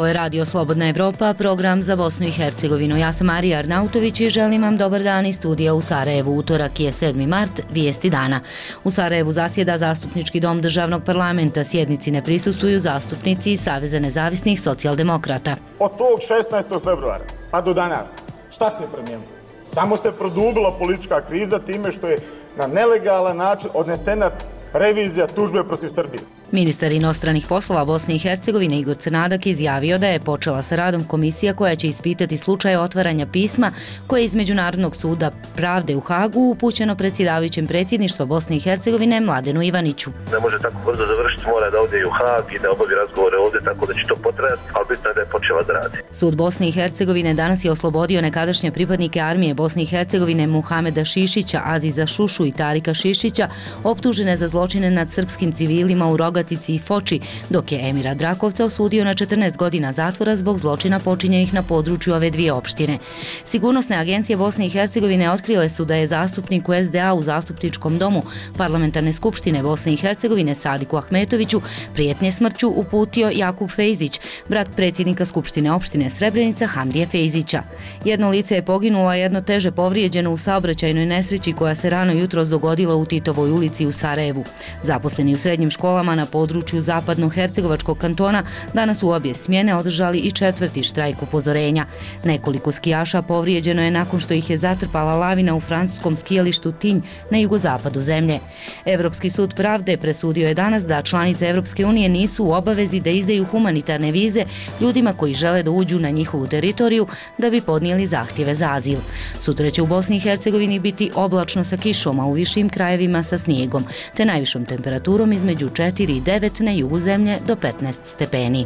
je Radio Slobodna Evropa, program za Bosnu i Hercegovinu. Ja sam Marija Arnautović i želim vam dobar dan iz studija u Sarajevu. Utorak je 7. mart, vijesti dana. U Sarajevu zasjeda Zastupnički dom državnog parlamenta. Sjednici ne prisustvuju zastupnici iz Saveza nezavisnih socijaldemokrata. Od tog 16. februara pa do danas, šta se promijenilo? Samo se produbila politička kriza time što je na nelegalan način odnesena revizija tužbe protiv Srbije. Ministar inostranih poslova Bosne i Hercegovine Igor Crnadak izjavio da je počela sa radom komisija koja će ispitati slučaj otvaranja pisma koje je iz Međunarodnog suda pravde u Hagu upućeno predsjedavajućem predsjedništva Bosne i Hercegovine Mladenu Ivaniću. Ne može tako brzo završiti, mora da ode u Hag i da obavi razgovore ovdje, tako da će to potrajati, ali bitno je da je počela da radi. Sud Bosne i Hercegovine danas je oslobodio nekadašnje pripadnike armije Bosne i Hercegovine Muhameda Šišića, Aziza Šušu i Tarika Šišića, optužene za zločine nad srpskim civilima u Rogatici i Foči, dok je Emira Drakovca osudio na 14 godina zatvora zbog zločina počinjenih na području ove dvije opštine. Sigurnosne agencije Bosne i Hercegovine otkrile su da je zastupniku SDA u Zastupničkom domu Parlamentarne skupštine Bosne i Hercegovine Sadiku Ahmetoviću prijetnje smrću uputio Jakub Fejzić, brat predsjednika Skupštine opštine Srebrenica Hamdije Fejzića. Jedno lice je poginulo, a jedno teže povrijeđeno u saobraćajnoj nesreći koja se rano jutros dogodila u Titovoj ulici u Sarajevu. Zaposleni u srednjim školama na području zapadno-hercegovačkog kantona danas u obje smjene održali i 4. štrajk upozorenja. Nekoliko skijaša povrijeđeno je nakon što ih je zatrpala lavina u francuskom skijalištu Tinj na jugozapadu zemlje. Europski sud pravde presudio je danas da članice Europske unije nisu u obavezi da izdaju humanitarne vize ljudima koji žele da uđu na njihovu teritoriju da bi podnijeli zahtjeve za azil. Sutra će u Bosni i Hercegovini biti oblačno sa kišom, a u višim krajevima sa snijegom, te najvišom temperaturom između 4 i 9 na jugu zemlje do 15 stepeni.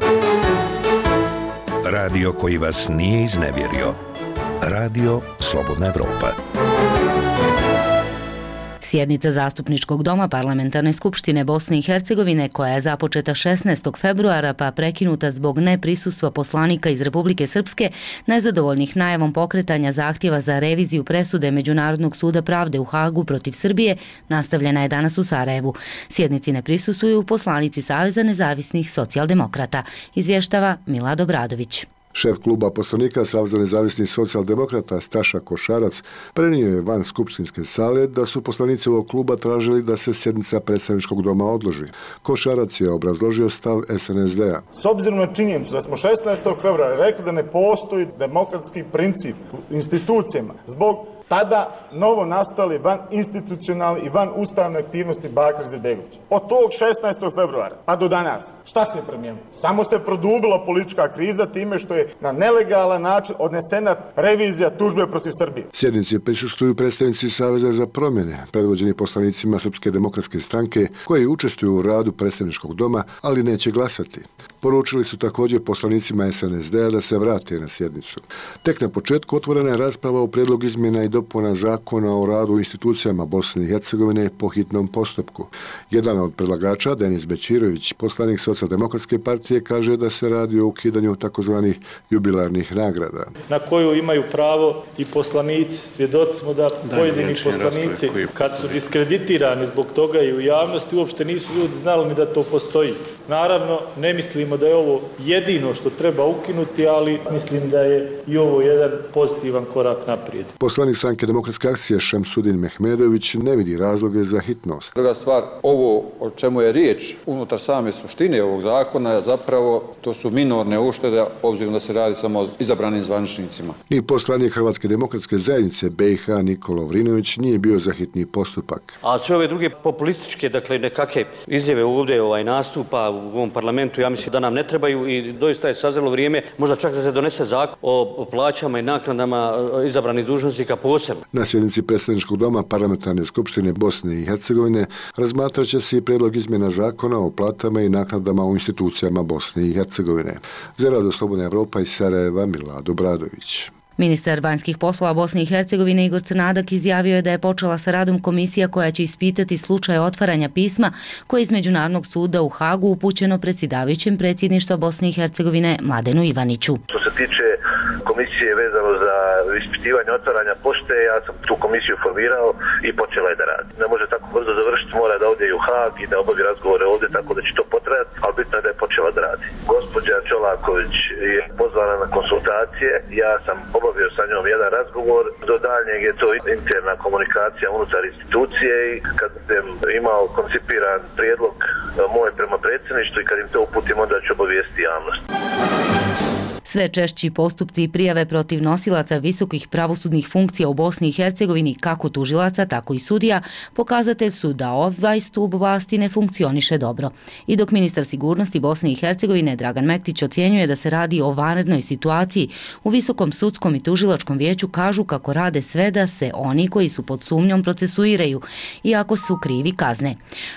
Radio koji vas nije iznevjerio. Radio Slobodna Evropa. Sjednica Zastupničkog doma Parlamentarne skupštine Bosne i Hercegovine, koja je započeta 16. februara pa prekinuta zbog neprisustva poslanika iz Republike Srpske, nezadovoljnih najavom pokretanja zahtjeva za reviziju presude Međunarodnog suda pravde u Hagu protiv Srbije, nastavljena je danas u Sarajevu. Sjednici ne prisustvuju poslanici Saveza nezavisnih socijaldemokrata, izvještava Milad Obradović. Šef kluba poslanika Saveza nezavisnih socijaldemokrata Staša Košarac prenio je van skupštinske sale da su poslanici ovog kluba tražili da se sjednica predstavničkog doma odloži. Košarac je obrazložio stav SNSD-a. S obzirom na činjenicu da smo 16. februara rekli da ne postoji demokratski princip u institucijama zbog tada novo nastali van institucionalni i van ustavne aktivnosti Bakir Izetbegović. Od tog 16. februara pa do danas, šta se promijenilo? Samo se produbila politička kriza time što je na nelegalan način odnesena revizija tužbe protiv Srbije. Sjednici prisustvuju predstavnici Saveza za promjene, predvođeni poslanicima Srpske demokratske stranke, koji učestvuju u radu predstavničkog doma, ali neće glasati. Poručili su također poslanicima SNSD-a da se vrate na sjednicu. Tek na početku otvorena je rasprava o prijedlogu izmjena i dopuna zakona o radu u institucijama Bosne i Hercegovine po hitnom postupku. Jedan od predlagača, Denis Bećirović, poslanik Socijaldemokratske partije, kaže da se radi o ukidanju takozvanih jubilarnih nagrada. Na koju imaju pravo i poslanici. Svjedoci smo da pojedini poslanici, kad su diskreditirani zbog toga i u javnosti, uopšte nisu ljudi znali ni da to postoji. Naravno, ne mislimo da je ovo jedino što treba ukinuti, ali mislim da je i ovo jedan pozitivan korak naprijed. Poslanik Stranke demokratske akcije Šemsudin Mehmedović ne vidi razloge za hitnost. Druga stvar, ovo o čemu je riječ unutar same suštine ovog zakona, zapravo to su minorne uštede, obzirom da se radi samo o izabranim zvaničnicima. Ni poslanik Hrvatske demokratske zajednice BiH Nikola Lovrinović nije bio za hitni postupak. A sve ove druge populističke, dakle nekakve izjave ovdje nastupa u ovom parlamentu, ja mislim da nam ne trebaju i doista je sazrelo vrijeme, možda čak da se donese zakon o plaćama i naknadama izabranih dužnosnika posebno. Na sjednici predstavničkog doma Parlamentarne skupštine Bosne i Hercegovine razmatrat će se i prijedlog izmjena zakona o platama i naknadama u institucijama Bosne i Hercegovine. Za Radio Slobodna Evropa iz Sarajeva, Milad Obradović. Ministar vanjskih poslova Bosne i Hercegovine Igor Crnadak izjavio je da je počela sa radom komisija koja će ispitati slučaj otvaranja pisma koje je iz Međunarodnog suda u Hagu upućeno predsjedavajućem predsjedništva Bosne i Hercegovine Mladenu Ivaniću. Što se tiče komisije vezano za ispitivanje otvaranja pošte. Ja sam tu komisiju formirao i počela je da radi. Ne može tako brzo završiti, mora da ode i u Haag i da obavi razgovore ovdje, tako da će to potrajati, ali bitno je da je počela da radi. Gospođa Čolaković je pozvana na konsultacije, ja sam obavio sa njom jedan razgovor, do daljnjeg je to interna komunikacija unutar institucije i kad budem imao koncipiran prijedlog moj prema predsjedništvu i kad im to uputim, onda ću obavijesti javnost. Sve češći postupci i prijave protiv nosilaca visokih pravosudnih funkcija u Bosni i Hercegovini, kako tužilaca, tako i sudija, pokazatelj su da ovaj stup vlasti ne funkcioniše dobro. I dok ministar sigurnosti Bosne i Hercegovine Dragan Mektić ocjenjuje da se radi o vanrednoj situaciji, u Visokom sudskom i tužilačkom vijeću kažu kako rade sve da se oni koji su pod sumnjom procesuiraju, iako su krivi kazne.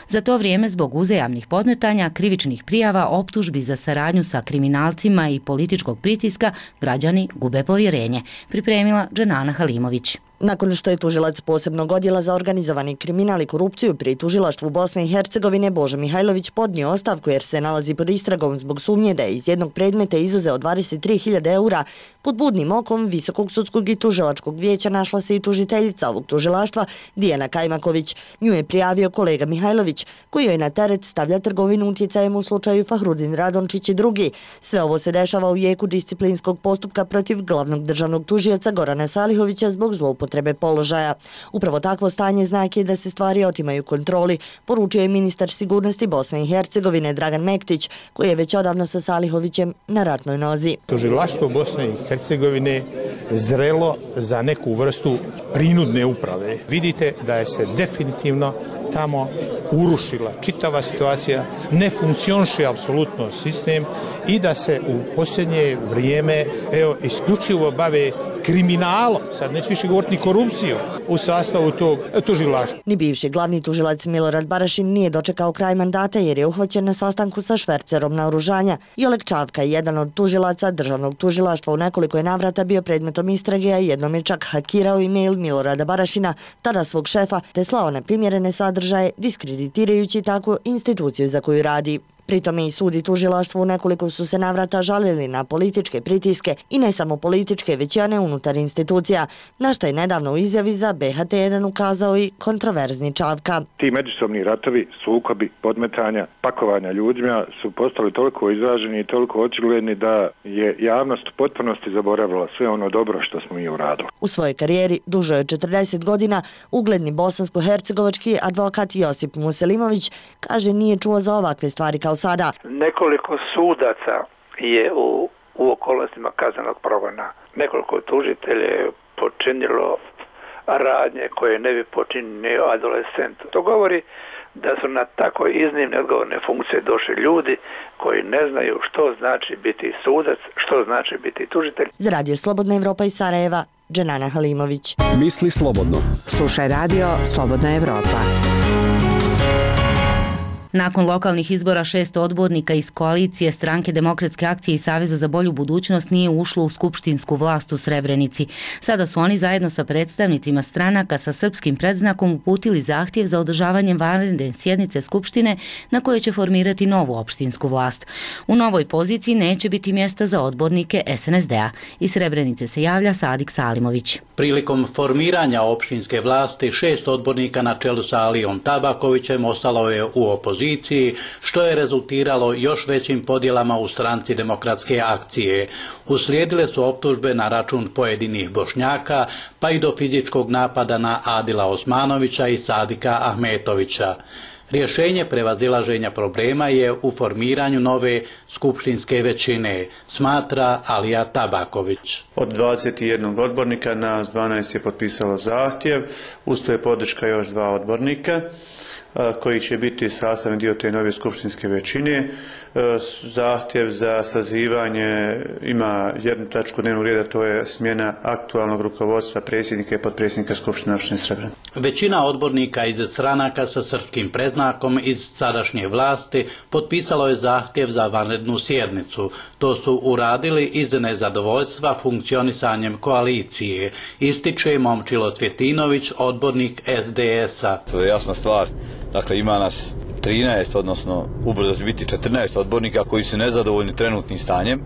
Za to vrijeme, zbog uzajamnih podmetanja, krivičnih prijava, optužbi za saradnju sa kriminalcima i političkog pritiska, građani gube povjerenje, pripremila Dženana Halimović. Nakon što je tužilac posebnog odjela za organizovani kriminal i korupciju pri tužilaštvu Bosne i Hercegovine Božo Mihajlović podnio ostavku jer se nalazi pod istragom zbog sumnje da je iz jednog predmeta izuzeo 23.000 eura, pod budnim okom Visokog sudskog i tužilačkog vijeća našla se i tužiteljica ovog tužilaštva Dijana Kajmaković. Nju je prijavio kolega Mihajlović, koji joj na teret stavlja trgovinu utjecajem u slučaju Fahrudin Radončić i drugi. Sve ovo se dešava u jeku disciplinskog postupka protiv glavnog državnog tužioca Gorana Salihovića zbog zloupotrebe položaja. Upravo takvo stanje znak je da se stvari otimaju kontroli, poručio je ministar sigurnosti Bosne i Hercegovine Dragan Mektić, koji je već odavno sa Salihovićem na ratnoj nozi. Tužilaštvo Bosne i Hercegovine zrelo za neku vrstu prinudne uprave. Vidite da je se definitivno tamo urušila čitava situacija, ne funkcioniše apsolutno sistem i da se u posljednje vrijeme isključivo bave kriminalom, sad neću više govoriti ni korupcijom, u sastavu tog tužilaštva. Ni bivši glavni tužilac Milorad Barašin nije dočekao kraj mandata jer je uhvaćen na sastanku sa švercerom naoružanja. I Oleg Čavka, jedan od tužilaca državnog tužilaštva, u nekoliko je navrata bio predmetom istrage, a jednom je čak hakirao e-mail Milorada Barašina, tada svog šefa, te slao neprimjerene sadržaje, diskreditirajući takvu instituciju za koju radi. Pritom i sud i tužilaštvo u nekoliko su se navrata žalili na političke pritiske i ne samo političke, već i one unutar institucija, na što je nedavno u izjavi za BHT1 ukazao i kontroverzni Čavka. Ti međusobni ratovi, sukobi, podmetanja, pakovanja ljudima su postali toliko izraženi i toliko očigledni da je javnost u potpunosti zaboravila sve ono dobro što smo mi uradili. U svojoj karijeri duže od 40 godina ugledni bosansko-hercegovački advokat Josip Muselimović kaže nije čuo za ovakve stvari kao sada. Nekoliko sudaca je u okolnostima kaznenog progona. Nekoliko tužitelja je počinilo radnje koje ne bi počinio adolescent. To govori da su na tako iznimne odgovorne funkcije došli ljudi koji ne znaju što znači biti sudac, što znači biti tužitelj. Za Radio Slobodna Evropa iz Sarajeva, Dženana Halimović. Misli slobodno. Slušaj Radio Slobodna Evropa. Nakon lokalnih izbora 6 odbornika iz koalicije Stranke demokratske akcije i Saveza za bolju budućnost nije ušlo u skupštinsku vlast u Srebrenici. Sada su oni zajedno sa predstavnicima stranaka sa srpskim predznakom uputili zahtjev za održavanjem vanredne sjednice Skupštine na kojoj će formirati novu opštinsku vlast. U novoj poziciji neće biti mjesta za odbornike SNSD-a. Iz Srebrenice se javlja Sadik Salimović. Prilikom formiranja opštinske vlasti 6 odbornika na čelu sa Alijom Tabakovićem ostalo je u opoziciji, što je rezultiralo još većim podjelama u stranci demokratske akcije. Uslijedile su optužbe na račun pojedinih Bošnjaka, pa i do fizičkog napada na Adila Osmanovića i Sadika Ahmetovića. Rješenje prevazilaženja problema je u formiranju nove skupštinske većine, smatra Alija Tabaković. Od 21 odbornika nas 12 je potpisalo zahtjev, uz to je podrška još 2 odbornika koji će biti sastavni dio te nove skupštinske većine. Zahtjev za sazivanje ima jednu tačku dnevnog reda, to je smjena aktualnog rukovodstva predsjednika i potpredsjednika Skupštine opštine Srebrenica. Većina odbornika iz stranaka sa srpskim predznakom iz sadašnje vlasti potpisalo je zahtjev za vanrednu sjednicu. To su uradili iz nezadovoljstva funkcionisanjem koalicije, ističe Momčilo Cvjetinović, odbornik SDS-a. To je jasna stvar. Dakle, ima nas 13, odnosno ubrzo će biti 14 odbornika koji su nezadovoljni trenutnim stanjem,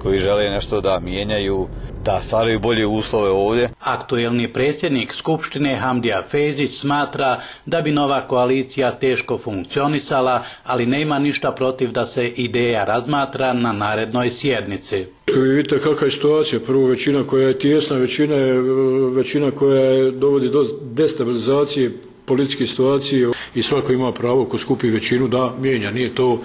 koji žele nešto da mijenjaju, da stvaraju bolje uslove ovdje. Aktuelni predsjednik Skupštine Hamdija Fejzić smatra da bi nova koalicija teško funkcionisala, ali nema ništa protiv da se ideja razmatra na narednoj sjednici. Vidite kakva je situacija. Prvo, većina koja je tijesna, većina koja dovodi do destabilizacije političke situacije i svako ima pravo ko skupi većinu da mijenja. Nije to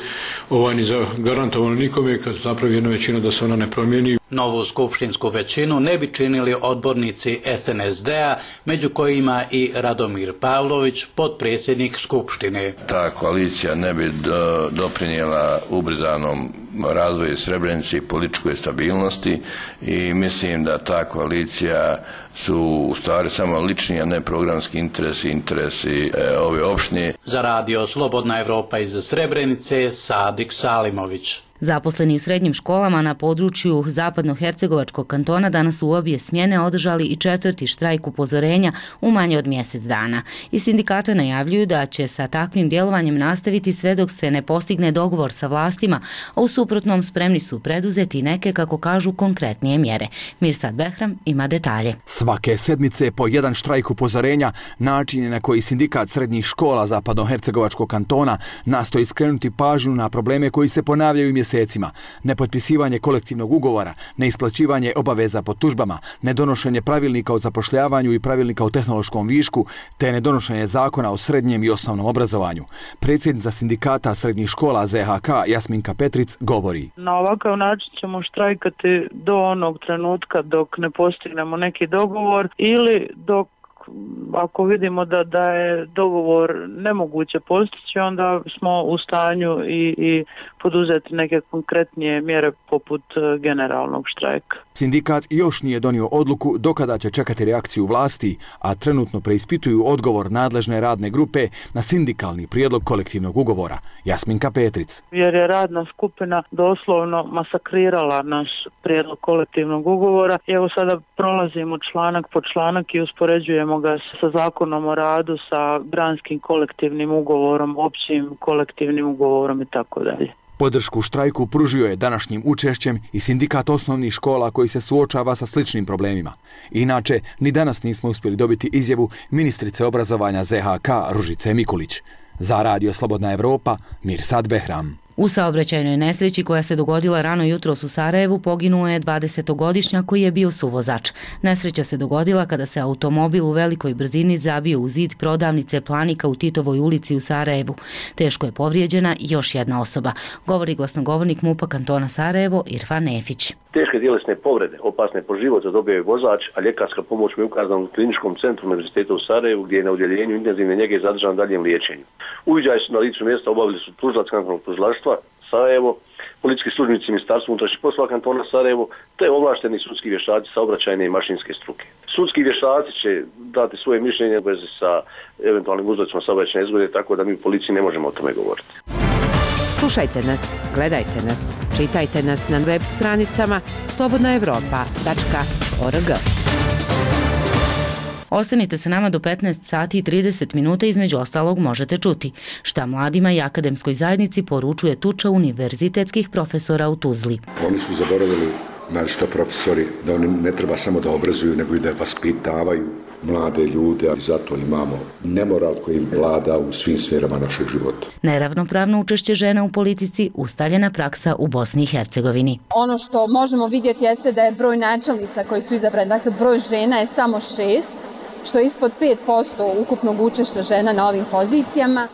ni zagarantovano nikome kad napravi jedna većina da se ona ne promijeni. Novu skupštinsku većinu ne bi činili odbornici SNSD-a, među kojima i Radomir Pavlović, potpredsjednik Skupštine. Ta koalicija ne bi doprinijela ubrzanom razvoju Srebrenice i političkoj stabilnosti i mislim da ta koalicija su u stvari samo lični, a ne programski interesi ove opštine. Za radio Slobodna Evropa iz Srebrenice, Sadik Salimović. Zaposleni u srednjim školama na području Zapadnohercegovačkog kantona danas u obje smjene održali i 4. štrajk upozorenja u manje od mjesec dana. I sindikata najavljuju da će sa takvim djelovanjem nastaviti sve dok se ne postigne dogovor sa vlastima, a u suprotnom spremni su preduzeti neke, kako kažu, konkretnije mjere. Mirsad Behram ima detalje. Svake sedmice po jedan štrajk upozorenja, način je na koji sindikat srednjih škola Zapadnohercegovačkog kantona nastoji skrenuti pažnju na probleme koji se ponavljaju mjesecima. Nepotpisivanje kolektivnog ugovora, neisplaćivanje obaveza po tužbama, nedonošenje pravilnika o zapošljavanju i pravilnika o tehnološkom višku, te nedonošenje zakona o srednjem i osnovnom obrazovanju. Predsjednica sindikata srednjih škola ZHK Jasminka Petric govori. Na ovakav način ćemo štrajkati do onog trenutka dok ne postignemo neki dogovor ili dok ako vidimo da je dogovor nemoguće postići, onda smo u stanju i poduzeti neke konkretnije mjere poput generalnog štrajka. Sindikat još nije donio odluku do kada će čekati reakciju vlasti, a trenutno preispituju odgovor nadležne radne grupe na sindikalni prijedlog kolektivnog ugovora. Jasminka Petric. Jer je radna skupina doslovno masakrirala naš prijedlog kolektivnog ugovora. I evo sada prolazimo članak po članak i uspoređujemo ga sa zakonom o radu, sa granskim kolektivnim ugovorom, općim kolektivnim ugovorom i tako dalje. Podršku štrajku pružio je današnjim učešćem i sindikat osnovnih škola koji se suočava sa sličnim problemima. Inače, ni danas nismo uspjeli dobiti izjavu ministrice obrazovanja ZHK Ružice Mikulić. Za radio Slobodna Evropa, Mirsad Behram. U saobraćajnoj nesreći koja se dogodila rano jutros u Sarajevu poginuo je 20-godišnjak koji je bio suvozač. Nesreća se dogodila kada se automobil u velikoj brzini zabio u zid prodavnice Planika u Titovoj ulici u Sarajevu. Teško je povrijeđena još jedna osoba, govori glasnogovornik MUP-a kantona Sarajevo Irfan Nefić. Teške tjelesne povrede, opasne po život, zadobio je vozač, a ljekarska pomoć mu je ukazana u kliničkom centru Univerziteta u Sarajevu, gdje je na udjeljenju intenzivne njege zadržan daljem liječenju. Uviđaj su na licu mjesta obavili su tužilac kantonalnog tužilaštva Sarajevo, policijski službenici Ministarstva unutrašnjih poslova kantona Sarajevo, te ovlašteni sudski vještaci saobraćajne i mašinske struke. Sudski vještaci će dati svoje mišljenje u vezi sa eventualnim uzrocima saobraćajne nezgode, tako da mi u policiji ne možemo o tome govoriti. Slušajte nas, gledajte nas, čitajte nas na web stranicama slobodnaevropa.org. Ostanite sa nama do 15 sati i 30 minuta, između ostalog možete čuti šta mladima i akademskoj zajednici poručuje tuča univerzitetskih profesora u Tuzli. Oni su zaboravili, naročito profesori, da oni ne treba samo da obrazuju, nego i da vaspitavaju mlade ljude, a zato imamo nemoral koji vlada u svim sferama našeg života. Neravnopravno učešće žena u politici ustaljena praksa u Bosni i Hercegovini. Ono što možemo vidjeti jeste da je broj načelnica koji su izabrani, dakle broj žena je samo 6, što je ispod 5% ukupnog učešća žena na ovim pozicijama.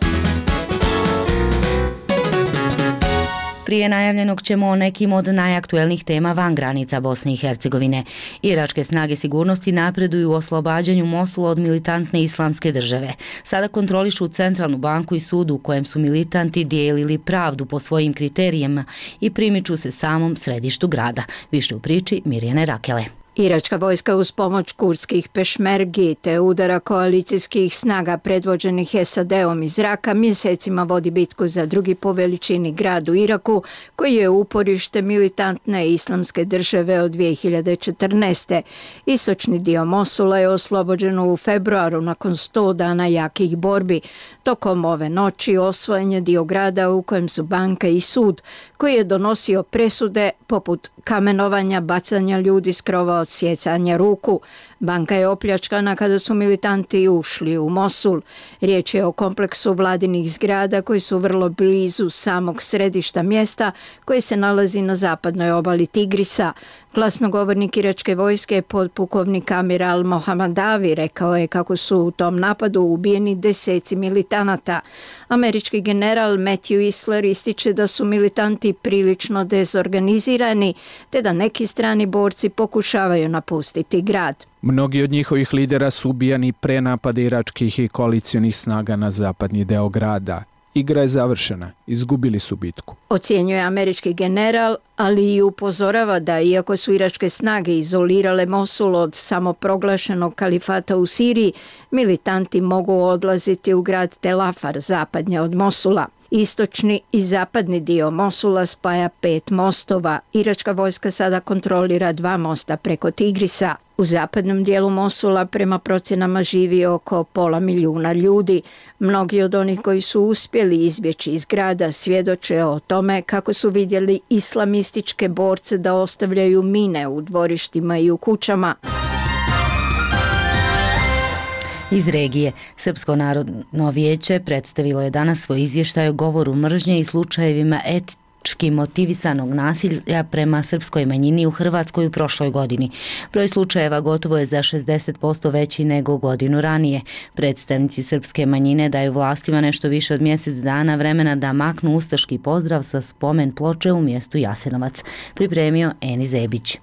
Prije najavljenog ćemo o nekim od najaktuelnijih tema van granica Bosne i Hercegovine. Iračke snage sigurnosti napreduju u oslobađanju Mosula od militantne islamske države. Sada kontrolišu centralnu banku i sud u kojem su militanti dijelili pravdu po svojim kriterijima i primiču se samom središtu grada. Više u priči Mirjane Rakele. Iračka vojska uz pomoć kurdskih pešmergi te udara koalicijskih snaga predvođenih SAD-om iz zraka mjesecima vodi bitku za drugi po veličini grad u Iraku, koji je uporište militantne islamske države od 2014. Istočni dio Mosula je oslobođen u februaru nakon 100 dana jakih borbi. Tokom ove noći osvojen je dio grada u kojem su banka i sud, koji je donosio presude poput kamenovanja, bacanja ljudi s krova, odsjecanja ruku. Banka je opljačkana kada su militanti ušli u Mosul. Riječ je o kompleksu vladinih zgrada koji su vrlo blizu samog središta mjesta koji se nalazi na zapadnoj obali Tigrisa. Glasnogovornik iračke vojske, podpukovnik Amir al-Mohammadavi, rekao je kako su u tom napadu ubijeni deseci militanata. Američki general Matthew Isler ističe da su militanti prilično dezorganizirani te da neki strani borci pokušavaju napustiti grad. Mnogi od njihovih lidera su ubijani pre napada iračkih i koalicionih snaga na zapadni deo grada. Igra je završena, izgubili su bitku. Ocjenjuje američki general, ali i upozorava da iako su iračke snage izolirale Mosul od samoproglašenog kalifata u Siriji, militanti mogu odlaziti u grad Tel Afar, zapadnje od Mosula. Istočni i zapadni dio Mosula spaja 5 mostova. Iračka vojska sada kontrolira 2 mosta preko Tigrisa. U zapadnom dijelu Mosula prema procjenama živi oko 500.000 ljudi. Mnogi od onih koji su uspjeli izbjeći iz grada svjedoče o tome kako su vidjeli islamističke borce da ostavljaju mine u dvorištima i u kućama. Iz regije, Srpsko narodno vijeće predstavilo je danas svoj izvještaj o govoru mržnje i slučajevima etnički motivisanog nasilja prema srpskoj manjini u Hrvatskoj u prošloj godini. Broj slučajeva gotovo je za 60% veći nego godinu ranije. Predstavnici srpske manjine daju vlastima nešto više od mjesec dana vremena da maknu ustaški pozdrav sa spomen ploče u mjestu Jasenovac. Pripremio Eni Zebić.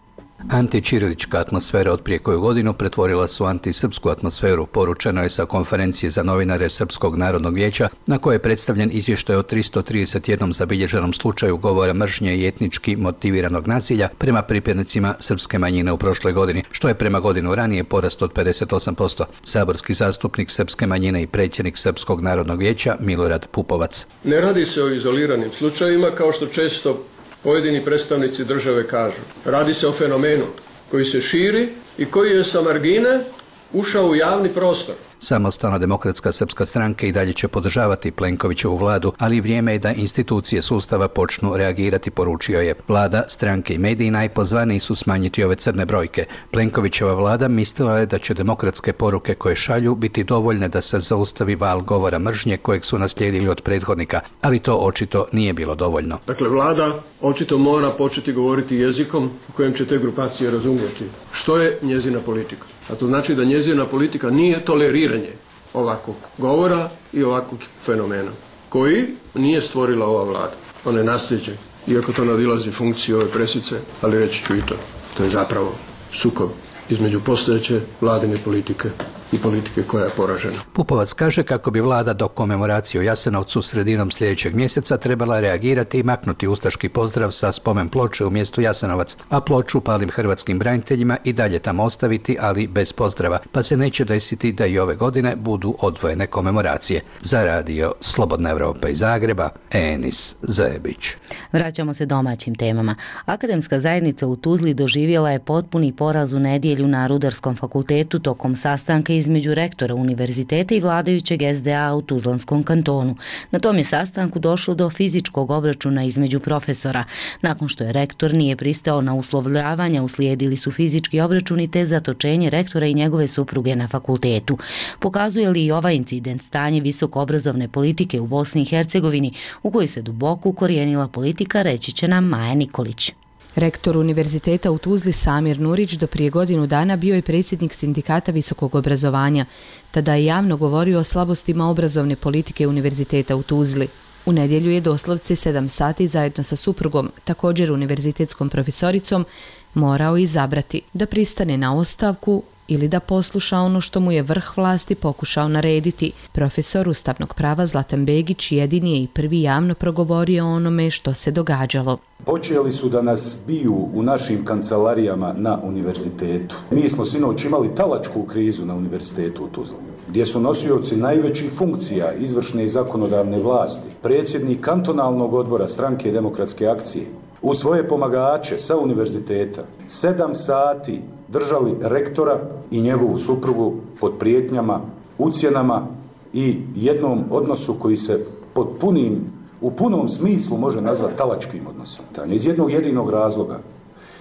Antićirilička atmosfera od prije koju godinu pretvorila su antisrpsku atmosferu, poručeno je sa konferencije za novinare Srpskog narodnog vijeća, na kojoj je predstavljen izvještaj o 331 zabilježenom slučaju govora mržnje i etnički motiviranog nasilja prema pripadnicima srpske manjine u prošloj godini, što je prema godinu ranije porast od 58%. Saborski zastupnik srpske manjine i predsjednik Srpskog narodnog vijeća Milorad Pupovac. Ne radi se o izoliranim slučajevima kao što često pojedini predstavnici države kažu. Radi se o fenomenu koji se širi i koji je sa margine ušao u javni prostor. Samostalna demokratska srpska stranka i dalje će podržavati Plenkovićevu vladu, ali vrijeme je da institucije sustava počnu reagirati, poručio je. Vlada, stranke i mediji najpozvaniji su smanjiti ove crne brojke. Plenkovićeva vlada mislila je da će demokratske poruke koje šalju biti dovoljne da se zaustavi val govora mržnje kojeg su naslijedili od prethodnika, ali to očito nije bilo dovoljno. Dakle, vlada očito mora početi govoriti jezikom u kojem će te grupacije razumjeti što je njezina politika. A to znači da njezina politika nije toleriranje ovakvog govora i ovakvog fenomena, koji nije stvorila ova vlada. Ona je nasljeđe, iako to nadilazi funkciju ove presice, ali reći ću i to. To je zapravo sukob između postojeće vladine politike i politike koja je poražena. Pupovac kaže kako bi vlada do komemoracije u Jasenovcu sredinom sljedećeg mjeseca trebala reagirati i maknuti ustaški pozdrav sa spomen ploče u mjestu Jasenovac, a ploču palim hrvatskim braniteljima i dalje tamo ostaviti, ali bez pozdrava, pa se neće desiti da i ove godine budu odvojene komemoracije. Za radio Slobodna Evropa iz Zagreba, Enis Zebić. Vraćamo se domaćim temama. Akademska zajednica u Tuzli doživjela je potpuni poraz u nedjelju na Rudarskom fakultetu tokom sastanka između rektora univerziteta i vladajućeg SDA u Tuzlanskom kantonu. Na tom je sastanku došlo do fizičkog obračuna između profesora. Nakon što je rektor nije pristao na uslovljavanja, uslijedili su fizički obračuni te zatočenje rektora i njegove supruge na fakultetu. Pokazuje li i ovaj incident stanje visokoobrazovne politike u Bosni i Hercegovini, u kojoj se duboko ukorijenila politika, reći će nam Maja Nikolić. Rektor univerziteta u Tuzli Samir Nurić do prije godinu dana bio je predsjednik sindikata visokog obrazovanja. Tada je javno govorio o slabostima obrazovne politike univerziteta u Tuzli. U nedjelju je doslovce 7 sati zajedno sa suprugom, također univerzitetskom profesoricom, morao izabrati da pristane na ostavku ili da posluša ono što mu je vrh vlasti pokušao narediti. Profesor ustavnog prava Zlatan Begić jedini je i prvi javno progovorio o onome što se događalo. Počeli su da nas biju u našim kancelarijama na univerzitetu. Mi smo sinoć imali talačku krizu na univerzitetu u Tuzli, gdje su nosioci najvećih funkcija izvršne i zakonodavne vlasti, predsjednik kantonalnog odbora Stranke demokratske akcije, u svoje pomagače sa univerziteta 7 sati držali rektora i njegovu suprugu pod prijetnjama, ucjenama i jednom odnosu koji se u punom smislu može nazvati talačkim odnosom. Iz jednog jedinog razloga,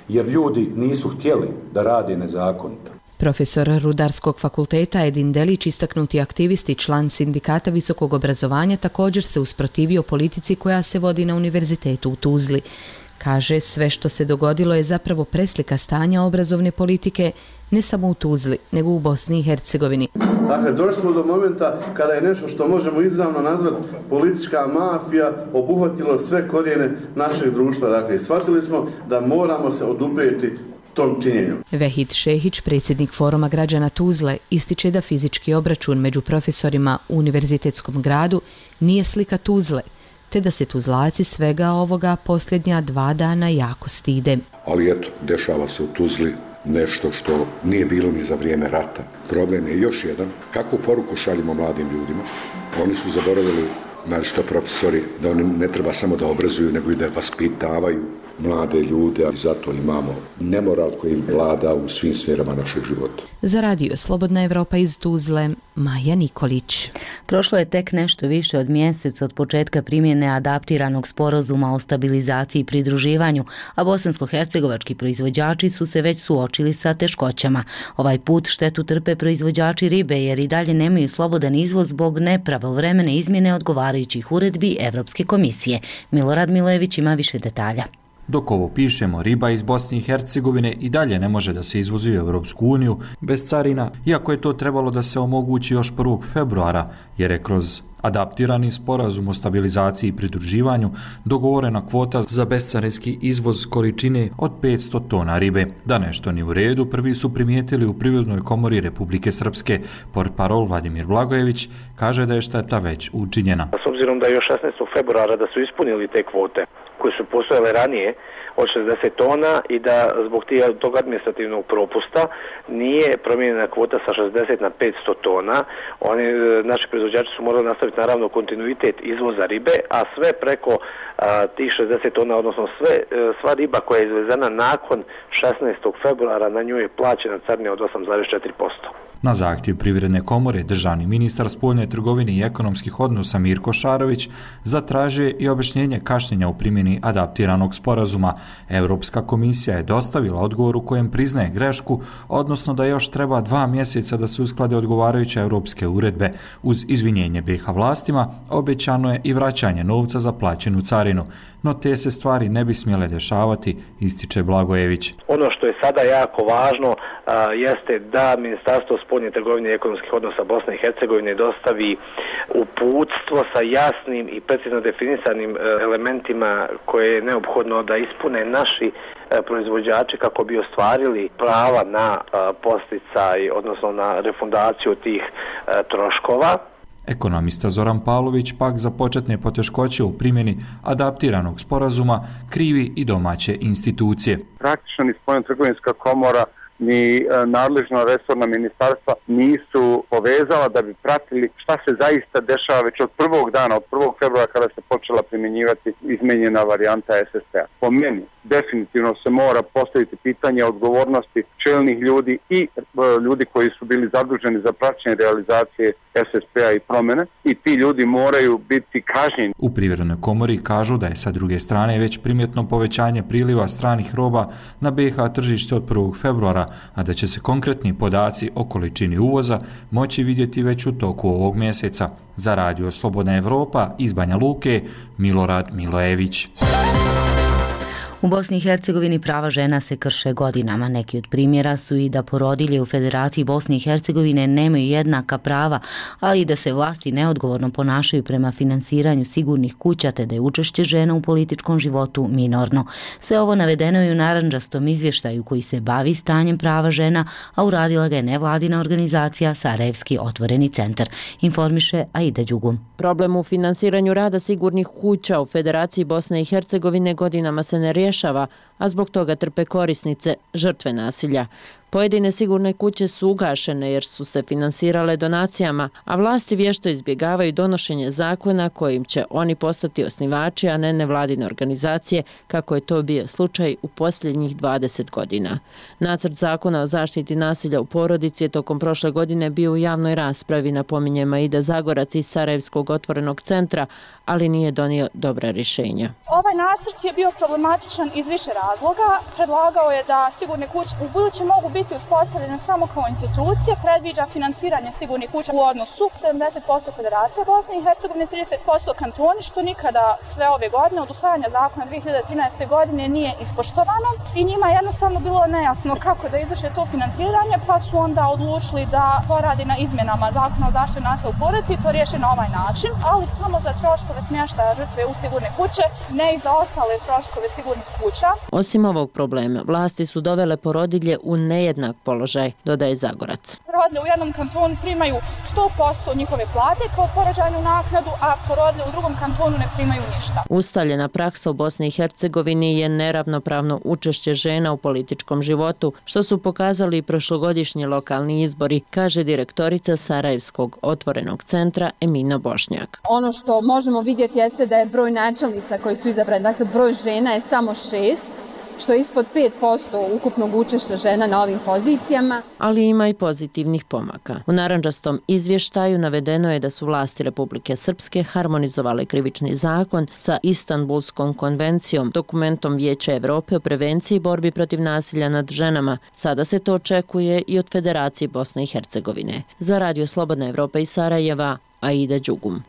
jer ljudi nisu htjeli da rade nezakonito. Profesor Rudarskog fakulteta Edin Delić, istaknuti aktivist i član sindikata visokog obrazovanja, također se usprotivio politici koja se vodi na univerzitetu u Tuzli. Kaže, sve što se dogodilo je zapravo preslika stanja obrazovne politike ne samo u Tuzli, nego u Bosni i Hercegovini. Dakle, došli smo do momenta kada je nešto što možemo izravno nazvati politička mafija obuhvatilo sve korijene našeg društva. Dakle, shvatili smo da moramo se oduprijeti tom činjenju. Vehid Šehić, predsjednik Foruma građana Tuzle, ističe da fizički obračun među profesorima u univerzitetskom gradu nije slika Tuzle, te da se Tuzlaci svega ovoga posljednja 2 dana jako stide. Ali eto, dešava se u Tuzli nešto što nije bilo ni za vrijeme rata. Problem je još jedan, kakvu poruku šaljimo mladim ljudima. Oni su zaboravili, naročito profesori, da oni ne treba samo da obrazuju, nego i da vaspitavaju mlade ljude, ali zato imamo nemoral koji im vlada u svim sferama našeg života. Za radio Slobodna Evropa iz Tuzle, Maja Nikolić. Prošlo je tek nešto više od mjesec od početka primjene adaptiranog sporazuma o stabilizaciji i pridruživanju, a bosansko-hercegovački proizvođači su se već suočili sa teškoćama. Ovaj put štetu trpe proizvođači ribe jer i dalje nemaju slobodan izvoz zbog nepravovremene izmjene odgovarajućih uredbi Evropske komisije. Milorad Milojević ima više detalja. Dok ovo pišemo, riba iz Bosne i Hercegovine i dalje ne može da se izvozi u Europsku uniju bez carina, iako je to trebalo da se omogući još 1. februara, jer je kroz adaptirani sporazum o stabilizaciji i pridruživanju dogovorena kvota za bescarinski izvoz količine od 500 tona ribe. Da nešto nije u redu, prvi su primijetili u Privrednoj komori Republike Srpske. Portparol Vladimir Blagojević kaže da je šteta već učinjena. S obzirom da je još 16. februara da su ispunili te kvote koje su postojale ranije od 60 tona i da zbog tog administrativnog propusta nije promijenjena kvota sa 60 na 500 tona. Naši proizvođači su morali nastaviti naravno kontinuitet izvoza ribe, a sve preko tih 60 tona, odnosno sva riba koja je izvezena nakon 16. februara, na nju je plaćena carina od 8,4%. Na zahtjev Privredne komore, državni ministar spoljne trgovine i ekonomskih odnosa Mirko Šarović zatražuje i objašnjenje kašnjenja u primjeni adaptiranog sporazuma. Europska komisija je dostavila odgovor u kojem priznaje grešku, odnosno da još treba 2 mjeseca da se usklade odgovarajuće europske uredbe. Uz izvinjenje BiH vlastima, obećano je i vraćanje novca za plaćenu carinu. No te se stvari ne bi smjele dešavati, ističe Blagojević. Ono što je sada jako važno jeste da Ministarstvo spoljne trgovine i ekonomskih odnosa Bosne i Hercegovine dostavi uputstvo sa jasnim i precizno definisanim elementima koje je neophodno da ispune naši proizvođači kako bi ostvarili prava na posticaj, odnosno na refundaciju tih troškova. Ekonomista Zoran Pavlović pak za početne poteškoće u primjeni adaptiranog sporazuma krivi i domaće institucije. Praktično ni spoljno-trgovinska komora ni nadležna resorna ministarstva nisu povezala da bi pratili šta se zaista dešava već od prvog dana, od 1. februara kada se počela primjenjivati izmenjena varijanta SSP-a. Po meni definitivno se mora postaviti pitanje odgovornosti čelnih ljudi i ljudi koji su bili zaduženi za praćenje realizacije SSP-a i promjene i ti ljudi moraju biti kažnjeni. U Privrednoj komori kažu da je sa druge strane već primjetno povećanje priliva stranih roba na BiH tržište od 1. februara, a da će se konkretni podaci o količini uvoza moći vidjeti već u toku ovog mjeseca. Za radio Slobodna Evropa iz Banja Luke, Milorad Milojević. U Bosni i Hercegovini prava žena se krše godinama. Neki od primjera su i da porodilje u Federaciji Bosne i Hercegovine nemaju jednaka prava, ali i da se vlasti neodgovorno ponašaju prema finansiranju sigurnih kuća, te da je učešće žena u političkom životu minorno. Sve ovo navedeno je u narandžastom izvještaju koji se bavi stanjem prava žena, a uradila ga je nevladina organizacija Sarajevski otvoreni centar, informiše Aida Đugum. Problem u finansiranju rada sigurnih kuća u Federaciji Bosne i Hercegovine godinama se ne rješava, a zbog toga trpe korisnice, žrtve nasilja. Pojedine sigurne kuće su ugašene jer su se finansirale donacijama, a vlasti vješto izbjegavaju donošenje zakona kojim će oni postati osnivači, a ne nevladine organizacije, kako je to bio slučaj u posljednjih 20 godina. Nacrt zakona o zaštiti nasilja u porodici je tokom prošle godine bio u javnoj raspravi, napominje Aida Zagorac iz Sarajevskog otvorenog centra, ali nije donio dobra rješenja. Ovaj nacrt je bio problematičan iz više razloga. Predlagao je da sigurne kuće u buduće mogu biti uspostavljene samo kao institucije, predviđa finansiranje sigurnih kuća u odnosu 70% Federacija Bosne i Hercegovine, 30% kantoni, što nikada sve ove godine od usvajanja zakona 2013. godine nije ispoštovano i njima je jednostavno bilo nejasno kako da izvrše to finansiranje, pa su onda odlučili da poradi na izmjenama zakona o zaštiti nasilja u porodici i to riješi na ovaj način, ali samo za troškove smještaja žrtve u sigurne kuće, ne i za ostale troškove sigurnih kuća. Osim ovog problema, vlasti su dovele porodilje u nejednak položaj, dodaje Zagorac. Porodilje u jednom kantonu primaju 100% njihove plate kao porođajnu naknadu, a porodilje u drugom kantonu ne primaju ništa. Ustaljena praksa u Bosni i Hercegovini je neravnopravno učešće žena u političkom životu, što su pokazali i prošlogodišnji lokalni izbori, kaže direktorica Sarajevskog otvorenog centra Emina Bošnjak. Ono što možemo vidjeti jeste da je broj načelnica koji su izabrani, dakle broj žena je samo 6, što je ispod 5% ukupnog učešća žena na ovim pozicijama. Ali ima i pozitivnih pomaka. U narandžastom izvještaju navedeno je da su vlasti Republike Srpske harmonizovale krivični zakon sa Istanbulskom konvencijom, dokumentom Vijeća Evrope o prevenciji i borbi protiv nasilja nad ženama. Sada se to očekuje i od Federacije Bosne i Hercegovine. Za Radio Slobodna Evropa iz Sarajeva, Aida Đugum.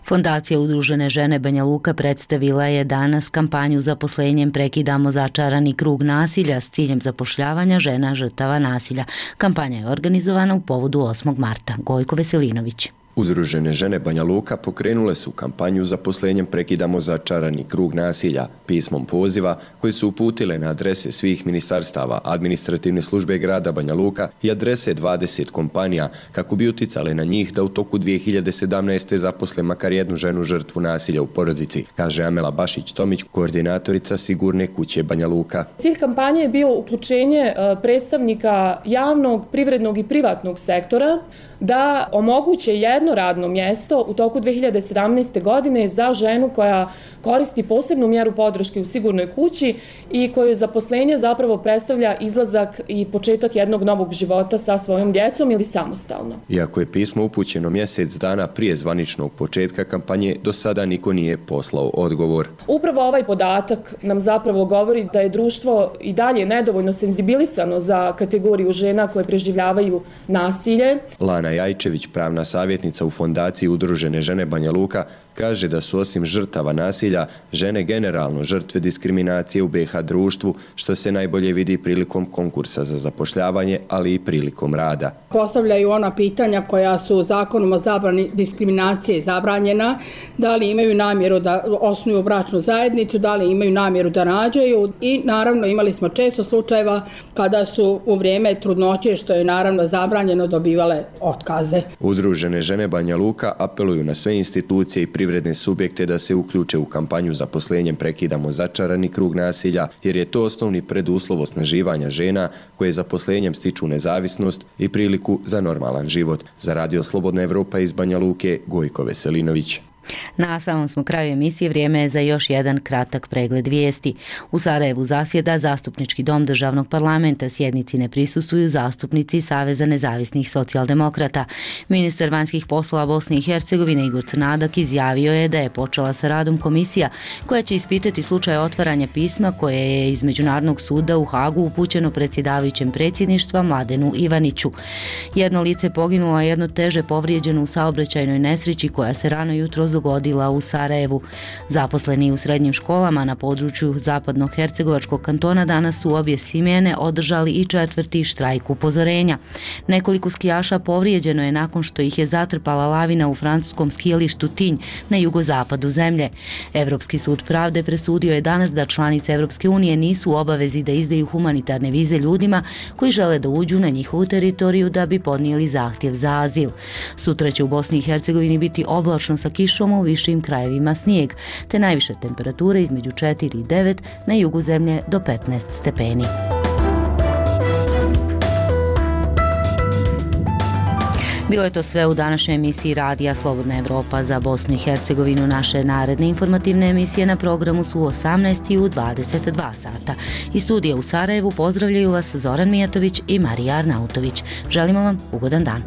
Fondacija Udružene žene Banja Luka predstavila je danas kampanju zaposlenjem Prekidamo začarani krug nasilja s ciljem zapošljavanja žena žrtava nasilja. Kampanja je organizovana u povodu 8. marta. Gojko Veselinović. Udružene žene Banja Luka pokrenule su kampanju zaposlenjem Prekidamo začarani krug nasilja pismom poziva koji su uputile na adrese svih ministarstava, administrativne službe grada Banja Luka i adrese 20 kompanija kako bi uticale na njih da u toku 2017. zaposle makar jednu ženu žrtvu nasilja u porodici, kaže Amela Bašić-Tomić, koordinatorica Sigurne kuće Banja Luka. Cilj kampanje je bio uključenje predstavnika javnog, privrednog i privatnog sektora da omoguće jedno radno mjesto u toku 2017. godine za ženu koja koristi posebnu mjeru podrške u sigurnoj kući i koju zaposlenje zapravo predstavlja izlazak i početak jednog novog života sa svojom djecom ili samostalno. Iako je pismo upućeno mjesec dana prije zvaničnog početka kampanje, do sada niko nije poslao odgovor. Upravo ovaj podatak nam zapravo govori da je društvo i dalje nedovoljno senzibilisano za kategoriju žena koje preživljavaju nasilje. Lana Jajčević, pravna savjetnica u Fondaciji Udružene žene Banja Luka, kaže da su osim žrtava nasilja žene generalno žrtve diskriminacije u BiH društvu, što se najbolje vidi prilikom konkursa za zapošljavanje, ali i prilikom rada. Postavljaju ona pitanja koja su zakonom o zabrani diskriminacije zabranjena, da li imaju namjeru da osnuju bračnu zajednicu, da li imaju namjeru da rađaju i naravno imali smo često slučajeva kada su u vrijeme trudnoće, što je naravno zabranjeno, dobivale otkaze. Udružene žene Banja Luka apeluju na sve institucije i privredne subjekte da se uključe u kampanju zaposlenjem Prekidamo začarani krug nasilja, jer je to osnovni preduslov osnaživanja žena koje zaposlenjem stiču nezavisnost i priliku za normalan život. Za Radio Slobodna Evropa iz Banja Luke, Gojko Veselinović. Na samom smo kraju emisije, vrijeme je za još jedan kratak pregled vijesti. U Sarajevu zasjeda Zastupnički dom državnog parlamenta, sjednici ne prisustvuju zastupnici Saveza nezavisnih socijaldemokrata. Ministar vanjskih poslova Bosne i Hercegovine Igor Crnadak izjavio je da je počela sa radom komisija koja će ispitati slučaj otvaranja pisma koje je iz Međunarodnog suda u Hagu upućeno predsjedavajućem predsjedništva Mladenu Ivaniću. Jedno lice poginulo, a jedno teže povrijeđeno u saobraćajnoj nesreći koja se rano jutros dogodila u Sarajevu. Zaposleni u srednjim školama na području zapadno-hercegovačkog kantona danas su obje smjene održali i 4. štrajk upozorenja. Nekoliko skijaša povrijeđeno je nakon što ih je zatrpala lavina u francuskom skijalištu Tinj na jugozapadu zemlje. Evropski sud pravde presudio je danas da članice Evropske unije nisu u obavezi da izdaju humanitarne vize ljudima koji žele da uđu na njihovu teritoriju da bi podnijeli zahtjev za azil. Sutra će u Bosni i Hercegovini biti oblačno sa kišom, u višim krajevima snijeg, te najviše temperature između 4 i 9, na jugu zemlje do 15 stepeni. Bilo je to sve u današnjoj emisiji Radija Slobodna Evropa za Bosnu i Hercegovinu. Naše naredne informativne emisije na programu su u 18 i u 22 sata. Iz studija u Sarajevu pozdravljaju vas Zoran Mijatović i Marija Arnautović. Želimo vam ugodan dan.